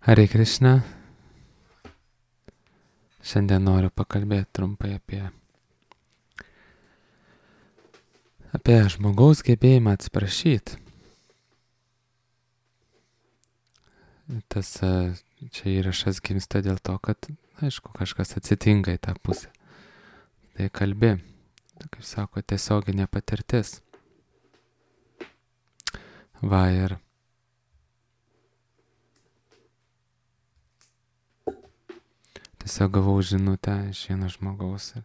Hare Krishna. Šiandien noriu pakalbėti trumpai apie žmogaus gebėjimą atsiprašyti. Tas čia įrašas gimsta dėl to, kad, aišku, kažkas atsitinka į tą pusę. Tai kalbi, kaip sako, tiesioginė patirtis. Va ir tiesiog gavau žinutę iš vieno žmogaus ir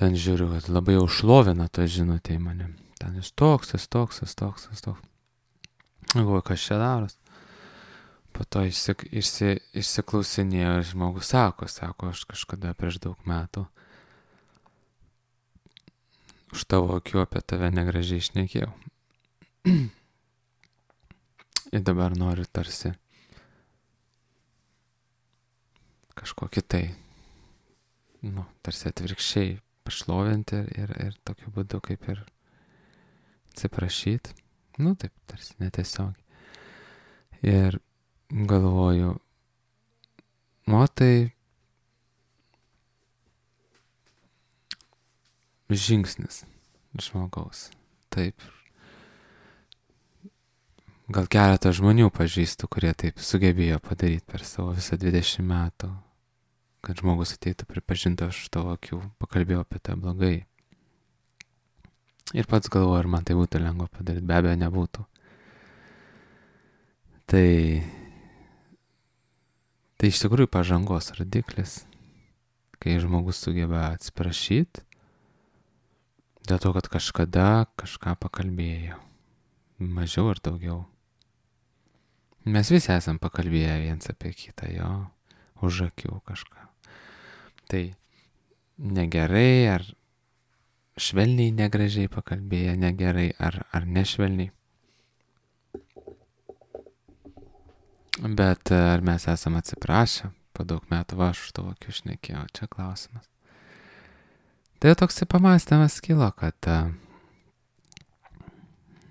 ten žiūriu, kad labai jau šlovina to žinutę į mane. Ten jis toks. Galvoju, kas čia daros. Po to išsiklausinėjo ir žmogus sako, aš kažkada prieš daug metų už tavo akių apie tave negražiai šnekėjau. Ir dabar noriu tarsi kažkokį tai, tarsi atvirkščiai pašlovinti ir tokiu būdu kaip ir atsiprašyti. Taip, tarsi netiesiogiai. Ir galvoju, tai žingsnis žmogaus. Taip. Gal keletą žmonių pažįstu, kurie taip sugebėjo padaryti per savo visą 20 metų, kad žmogus ateitų pripažinti, aš tavo akių pakalbėjau apie tą blogai. Ir pats galvoju, ar man tai būtų lengva padaryti, be abejo nebūtų. Tai iš tikrųjų pažangos rodiklis, kai žmogus sugeba atsiprašyti, dėl to, kad kažkada kažką pakalbėjo, mažiau ar daugiau. Mes visi esam pakalbėję viens apie kitą, jo, už akių kažką. Tai negerai, ar švelniai negražiai pakalbėję, negerai, ar nešvelniai. Bet ar mes esam atsiprašę, po daug metų aš tavo akių šnekėjau, čia klausimas. Tai toks pamąstymas kilo, kad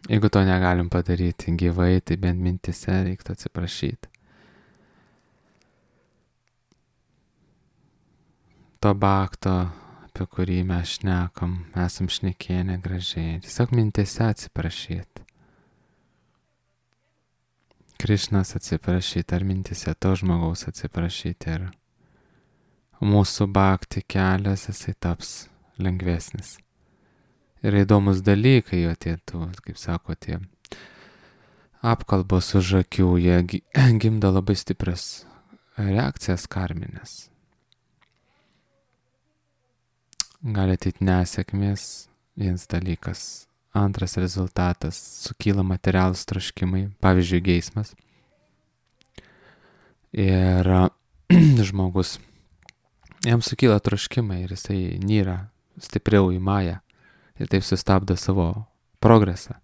jeigu to negalim padaryti gyvai, tai bent mintise reiktų atsiprašyti. To bakto, apie kurį mes šnekam, esam šnekėję negražiai. Tiesiog mintise atsiprašyti. Krišnas atsiprašyti, ar mintise to žmogaus atsiprašyti. Ir mūsų bakti kelias, jisai taps lengvesnis. Ir įdomus dalykai jo tie, kaip sako, tie apkalbos už akių, jie gimdo labai stiprias reakcijas karminės. Gali ateit nesėkmės, vienas dalykas. Antras rezultatas, sukyla materialūs troškimai, pavyzdžiui, geismas. Ir žmogus, jam sukyla troškimai ir jisai nyra stipriau į mają. Ir taip sustabdo savo progresą.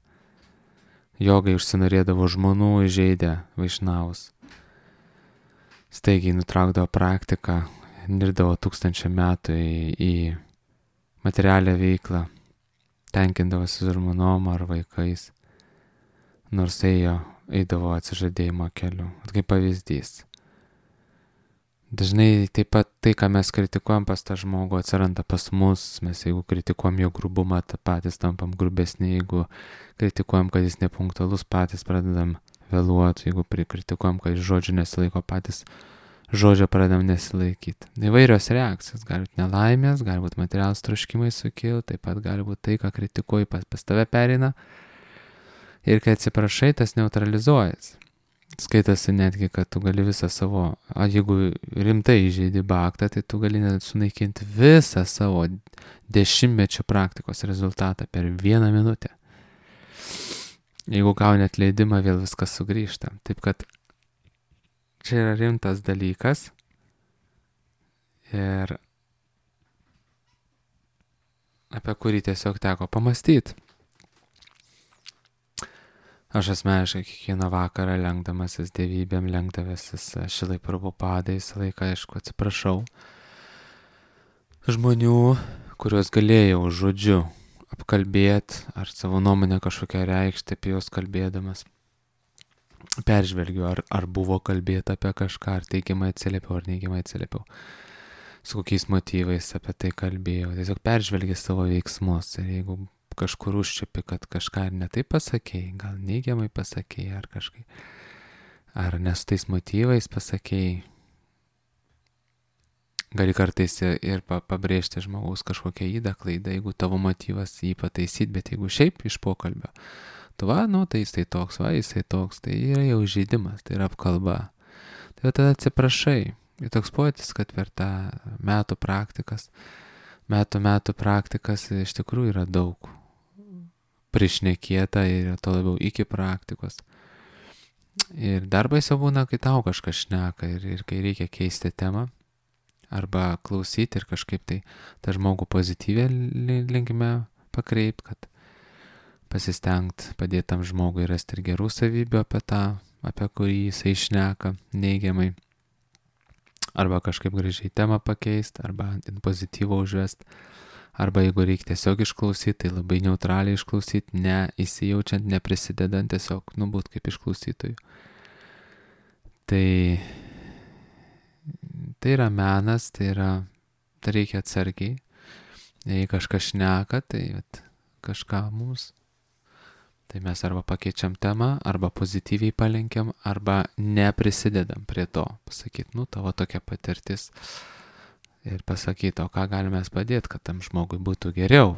Jogai užsinorėdavo žmonų, įžeidė vaišnavus. Staigiai nutraukdavo praktiką, nirdavo 1000 metų į materialią veiklą, tenkindavosi žmonom ar vaikais, nors eidavo atsižadėjimo keliu. Kaip pavyzdys. Dažnai taip pat tai, ką mes kritikuojam pas tą žmogų, atsiranda pas mus. Mes jeigu kritikuojam jo grubumą, patys tampam grubesni. Jeigu kritikuojam, kad jis nepunktualus, patys pradedam vėluoti. Jeigu kritikuojam, kad jis žodžių nesilaiko, patys žodžio pradedam nesilaikyti. Įvairios reakcijos. Gali būti nelaimės, gali būti materialūs troškimai sukilti, taip pat gali būti tai, ką kritikuoji, pas tave pereina. Ir kai atsiprašai, tas neutralizuojas. Skaitasi netgi, kad tu gali visą savo, jeigu rimtai įžeidi baktą, tai tu gali net sunaikinti visą savo 10-mečio praktikos rezultatą per 1 minutę. Jeigu gauni atleidimą, vėl viskas sugrįžta. Taip kad čia yra rimtas dalykas ir apie kurį tiesiog teko pamastyti. Aš asmeniškai kiekvieną vakarą lenkdamasis dievybėm, lenkdavasis Šilai Prabhupadai, visą laiką, aišku, atsiprašau žmonių, kuriuos galėjau žodžiu apkalbėti ar savo nuomonę kažkokią reikšti apie juos kalbėdamas. peržvelgiu, ar buvo kalbėta apie kažką, ar teigiamai atsiliepiau, ar neigiamai atsiliepiau, su kokiais motyvais apie tai kalbėjau. Tiesiog peržvelgi savo veiksmus ir jeigu kažkur užčiapi, kad kažką ir netaip pasakėjai, gal neigiamai pasakėjai, ar kažkai, ar ne su tais motyvais pasakėjai, gali kartais ir pabrėžti žmogaus kažkokią įdą, klaidą, jeigu tavo motyvas jį pataisyti, bet jeigu šiaip iš pokalbio, tu tai jisai toks, tai yra jau žaidimas, tai yra apkalba. Tai tada atsiprašai. Ir toks poetis, kad per tą metų praktikas iš tikrųjų yra daug prišnekėta ir to labiau iki praktikos. Ir dar baisiau būna, kai tau kažkas šneka ir kai reikia keisti temą arba klausyti ir kažkaip tai tą žmogų pozityvę linkme pakreipt, kad pasistengt padėti tam žmogui rasti ir gerų savybių apie kurį jisai šneka neigiamai, arba kažkaip gražiai temą pakeist, arba pozityvą užvest, arba jeigu reikia tiesiog išklausyti, tai labai neutraliai išklausyti, ne įsijaučiant, neprisidedant, tiesiog būt kaip išklausytojų. Tai yra menas, tai reikia atsargiai. Jei kažkas šneka, tai kažką mums. Tai mes arba pakeičiam temą, arba pozityviai palenkiam, arba neprisidedam prie to. Pasakyt, tavo tokia patirtis. Ir pasakyti, o ką galime padėti, kad tam žmogui būtų geriau.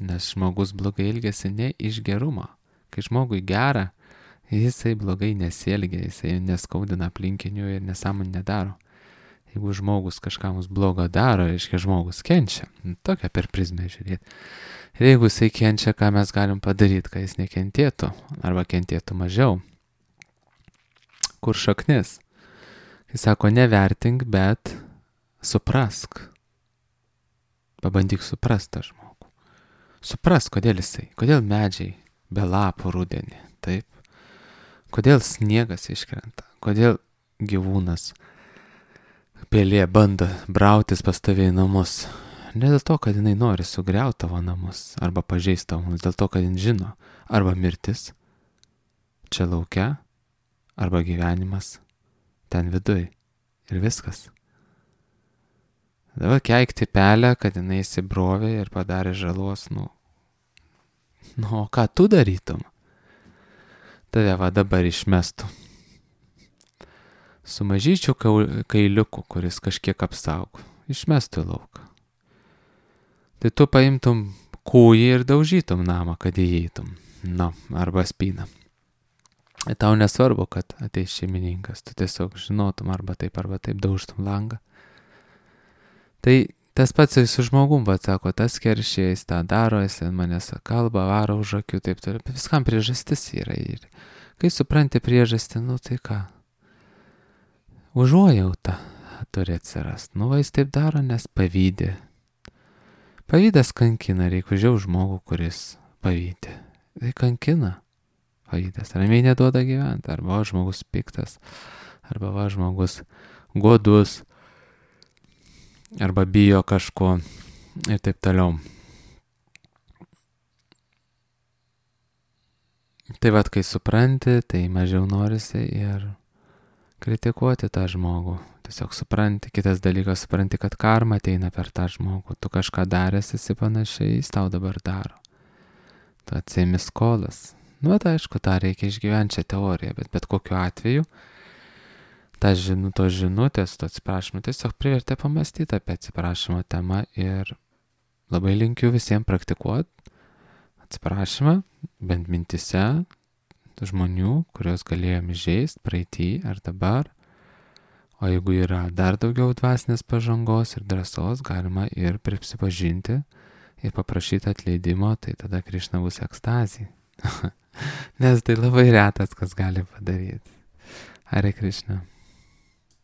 Nes žmogus blogai elgiasi ne iš gerumo. Kai žmogui gera, jisai blogai nesielgia, jisai neskaudina aplinkinių ir nesąmonę nedaro. Jeigu žmogus kažką mums blogo daro, reiškia žmogus kenčia. Tokia per prizmę žiūrėti. Ir jeigu jisai kenčia, ką mes galim padaryti, kad jis nekentėtų, arba kentėtų mažiau. Kur šaknis? Kai sako, nevertink, bet suprask. Pabandyk suprast tą žmogų. Suprask, kodėl medžiai be lapų rudenį, taip? Kodėl sniegas iškrenta, kodėl gyvūnas, pelė bando brautis pas tave į namus. Ne dėl to, kad jinai nori sugriauti tavo namus arba pažeisti tavo namus, dėl to, kad jin žino arba mirtis čia lauke, arba gyvenimas ten viduj ir viskas. Dabar keikti pelę, kad jinai įsibrovė ir padarė žalos, o ką tu darytum? Tave dabar išmestų su mažyčiu kailiuku, kuris kažkiek apsaugo, išmestų į lauką. Tai tu paimtum kūjį ir daužytum namą, kad įeitum, arba spyną. Ir tau nesvarbu, kad ateis šeimininkas, tu tiesiog žinotum arba taip daužtum langą. Tai tas pats su žmogum, sako, tas keršė, jis tą daro, jis manęs kalba, varo už akių, taip toliau. Viskam priežastis yra. Ir kai supranti priežastį, tai ką? Užuojauta turi atsirast. Jis taip daro, nes pavydė. Pavydas kankina, reikia žiau žmogų, kuris pavydė. Tai kankina. Pavydas ramiai neduoda gyventi. Arba žmogus piktas, arba žmogus godus, arba bijo kažko ir taip toliau. Tai kai supranti, tai mažiau norisi ir kritikuoti tą žmogų. Tiesiog supranti, kitas dalykas, supranti, kad karma ateina per tą žmogų. Tu kažką daręs esi panašiai, jis tau dabar daro. Tu atsiimi skolas. Aišku, tą reikia išgyventi šią teoriją, bet kokiu atveju tos žinutės, to atsiprašymo tiesiog privertė pamastyti apie atsiprašymo temą ir labai linkiu visiems praktikuoti atsiprašymą, bent mintise, žmonių, kurios galėjom įžeisti praeitį ar dabar. O jeigu yra dar daugiau dvasinės pažangos ir drąsos, galima ir prisipažinti ir paprašyti atleidimo, tai tada Krišna bus ekstazija. Nes tai labai retas, kas gali padaryti. Hare Krishna.